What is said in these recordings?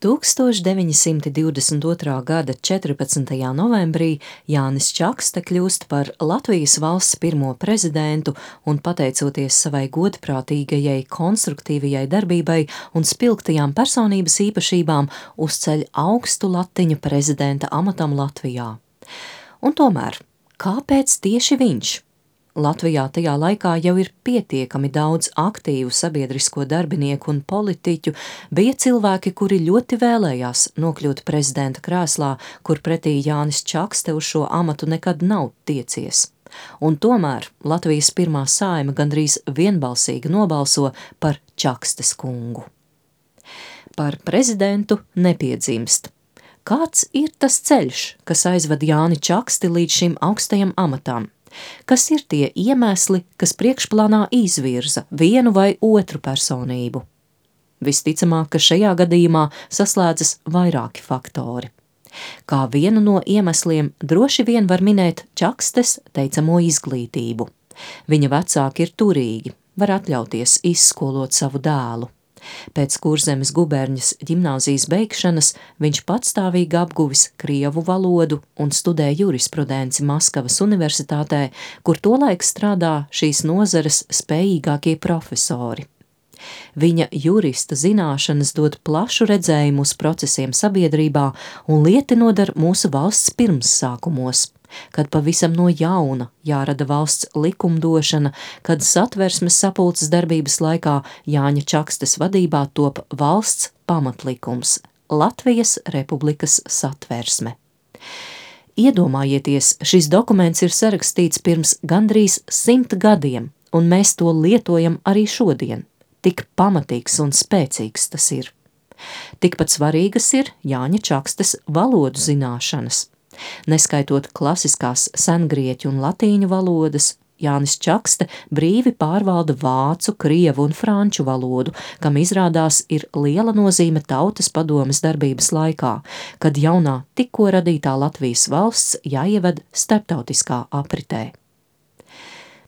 1922. gada 14. novembrī Jānis Čakste kļūst par Latvijas valsts pirmo prezidentu un, pateicoties savai godprātīgajai, konstruktīvajai darbībai un spilgtajām personības īpašībām, uzceļ augstu latiņu prezidenta amatam Latvijā. Un tomēr, kāpēc tieši viņš? Latvijā tajā laikā jau ir pietiekami daudz aktīvu sabiedrisko darbinieku un politiķu, bija cilvēki, kuri ļoti vēlējās nokļūt prezidenta krēslā, kur pretī Jānis Čakste uz šo amatu nekad nav tiecies. Un tomēr Latvijas pirmā Saeima gandrīz vienbalsīgi nobalso par Čakstes kungu. Par prezidentu nepiedzimst. Kāds ir tas ceļš, kas aizved Jāni Čaksti līdz šim augstajam amatam? Kas ir tie iemesli, kas priekšplānā izvirza vienu vai otru personību? Visticamāk, ka šajā gadījumā saslēdzas vairāki faktori. Kā vienu no iemesliem droši vien var minēt Čakstes teicamo izglītību. Viņa vecāki ir turīgi, var atļauties izskolot savu dēlu. Pēc Kurzemes guberņas ģimnāzijas beigšanas viņš patstāvīgi apguvis krievu valodu un studēja jurisprudenci Maskavas universitātē, kur tolaik strādā šīs nozares spējīgākie profesori. Viņa jurista zināšanas dod plašu redzējumu uz procesiem sabiedrībā un lieti nodar mūsu valsts pirmssākumos, kad pavisam no jauna jārada valsts likumdošana, kad Satversmes sapulces darbības laikā Jāņa Čakstes vadībā top valsts pamatlikums – Latvijas Republikas Satversme. Iedomājieties, šis dokuments ir sarakstīts pirms gandrīz 100 gadiem, un mēs to lietojam arī šodien. Tik pamatīgs un spēcīgs tas ir. Tikpat svarīgas ir Jāņa Čakstes valodu zināšanas. Neskaitot klasiskās sengrieķu un latīņu valodas, Jānis Čakste brīvi pārvalda vācu, krievu un franču valodu, kam izrādās ir liela nozīme Tautas padomes darbības laikā, kad jaunā tikko radītā Latvijas valsts jāieved starptautiskā apritē.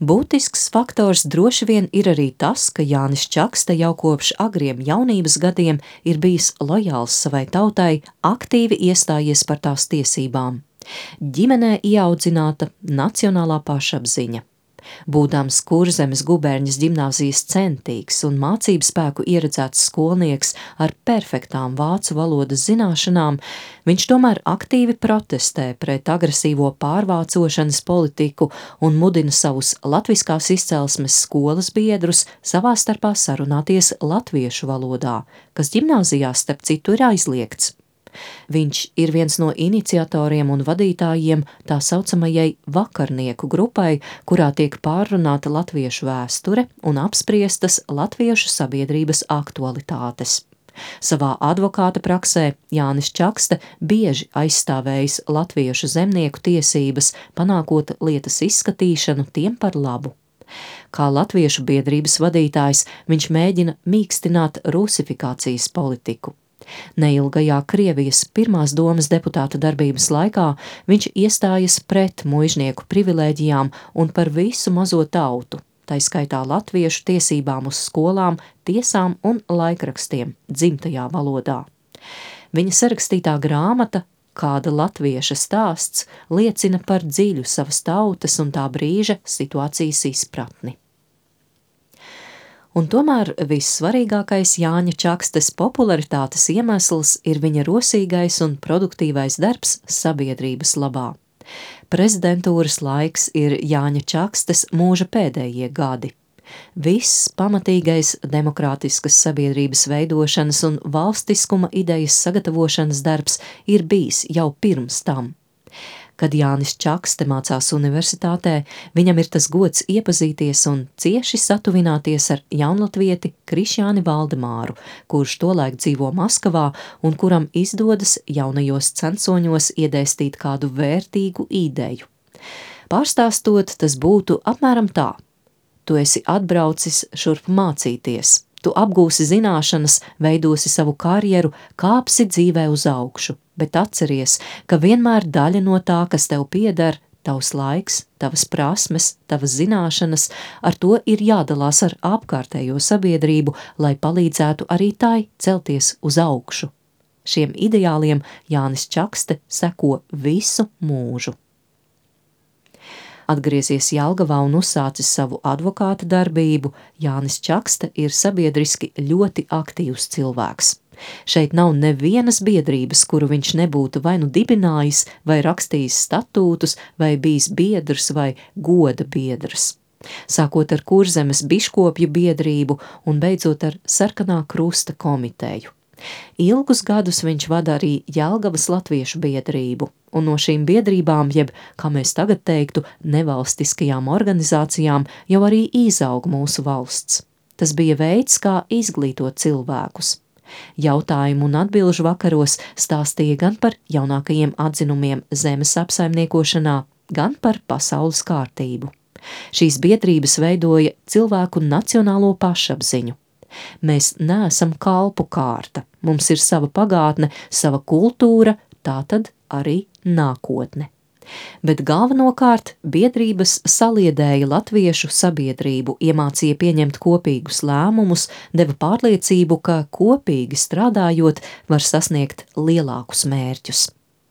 Būtisks faktors droši vien ir arī tas, ka Jānis Čakste jau kopš agriem jaunības gadiem ir bijis lojāls savai tautai, aktīvi iestājies par tās tiesībām. Ģimenē ieaudzināta nacionālā pašapziņa. Būdams Kurzemes guberņas ģimnāzijas centīgs un mācību spēku ieredzēts skolnieks ar perfektām vācu valodas zināšanām, viņš tomēr aktīvi protestē pret agresīvo pārvācošanas politiku un mudina savus latviskās izcelsmes skolas biedrus savā starpā sarunāties latviešu valodā, kas ģimnāzijā starp citu ir aizliegts. Viņš ir viens no iniciatoriem un vadītājiem tā saucamajai vakarnieku grupai, kurā tiek pārrunāta latviešu vēsture un apspriestas latviešu sabiedrības aktualitātes. Savā advokāta praksē Jānis Čakste bieži aizstāvējis latviešu zemnieku tiesības, panākot lietas izskatīšanu tiem par labu. Kā latviešu biedrības vadītājs viņš mēģina mīkstināt rusifikācijas politiku. Neilgajā Krievijas pirmās domas deputāta darbības laikā viņš iestājas pret muižnieku privilēģijām un par visu mazo tautu, tai skaitā latviešu tiesībām uz skolām, tiesām un laikrakstiem dzimtajā valodā. Viņa sarakstītā grāmata Kāda latvieša stāsts liecina par dziļu savas tautas un tā brīža situācijas izpratni. Un tomēr vissvarīgākais Jāņa Čakstes popularitātes iemesls ir viņa rosīgais un produktīvais darbs sabiedrības labā. Prezidentūras laiks ir Jāņa Čakstes mūža pēdējie gadi. Viss pamatīgais demokrātiskas sabiedrības veidošanas un valstiskuma idejas sagatavošanas darbs ir bijis jau pirms tam. Kad Jānis Čakste mācās universitātē, viņam ir tas gods iepazīties un cieši satuvināties ar jaunlatvieti Krišjāni Valdemāru, kurš tolaik dzīvo Maskavā un kuram izdodas jaunajos censoņos iedēstīt kādu vērtīgu ideju. Pārstāstot, tas būtu apmēram tā. Tu esi atbraucis šurp mācīties. Tu apgūsi zināšanas, veidosi savu karjeru, kāpsi dzīvē uz augšu, bet atceries, ka vienmēr daļa no tā, kas tev pieder, tavs laiks, tavas prasmes, tavas zināšanas, ar to ir jādalās ar apkārtējo sabiedrību, lai palīdzētu arī tai celties uz augšu. Šiem ideāliem Jānis Čakste seko visu mūžu. Atgriezies Jelgavā un uzsācis savu advokāta darbību, Jānis Čakste ir sabiedriski ļoti aktīvs cilvēks. Šeit nav nevienas biedrības, kuru viņš nebūtu vai nu dibinājis, vai rakstījis statūtus, vai bijis biedrs vai goda biedrs. Sākot ar Kurzemes biškopju biedrību un beidzot ar Sarkanā krusta komiteju. Ilgus gadus viņš vada arī Jelgavas latviešu biedrību, un no šīm biedrībām, jeb, kā mēs tagad teiktu, nevalstiskajām organizācijām, jau arī izaug mūsu valsts. Tas bija veids, kā izglītot cilvēkus. Jautājumu un atbilžu vakaros stāstīja gan par jaunākajiem atzinumiem zemes apsaimniekošanā, gan par pasaules kārtību. Šīs biedrības veidoja cilvēku nacionālo pašapziņu. Mēs neesam kalpu kārta, mums ir sava pagātne, sava kultūra, tātad arī nākotne. Bet galvenokārt biedrības saliedēja latviešu sabiedrību, iemācīja pieņemt kopīgus lēmumus, deva pārliecību, ka kopīgi strādājot var sasniegt lielākus mērķus.